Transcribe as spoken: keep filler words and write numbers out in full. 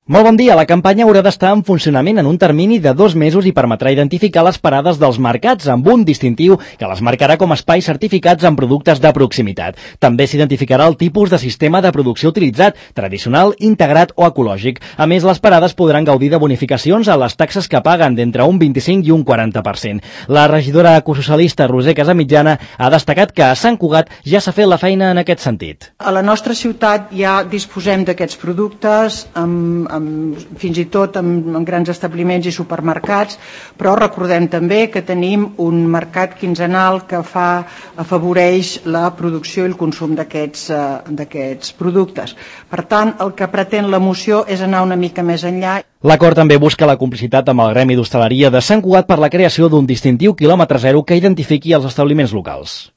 Molt bon dia. La campanya haurà d'estar en funcionament en un termini de dos mesos i permetrà identificar les parades dels mercats amb un distintiu que les marcarà com a espais certificats amb productes de proximitat. També s'identificarà el tipus de sistema de producció utilitzat, tradicional, integrat o ecològic. A més, les parades podran gaudir de bonificacions a les taxes que paguen d'entre un vint-i-cinc i un quaranta per cent. La regidora ecosocialista Roser Casamitjana ha destacat que a Sant Cugat ja s'ha fet la feina en aquest sentit. A la nostra ciutat ja disposem d'aquests productes amb, amb fins i tot en, en grans establiments i supermercats, però recordem també que tenim un mercat quinzenal que fa, afavoreix la producció i el consum d'aquests eh, d'aquests productes. Per tant, el que pretén la moció és anar una mica més enllà. L'acord també busca la complicitat amb el Gremi d'Hostaleria de Sant Cugat per la creació d'un distintiu quilòmetre zero que identifiqui els establiments locals.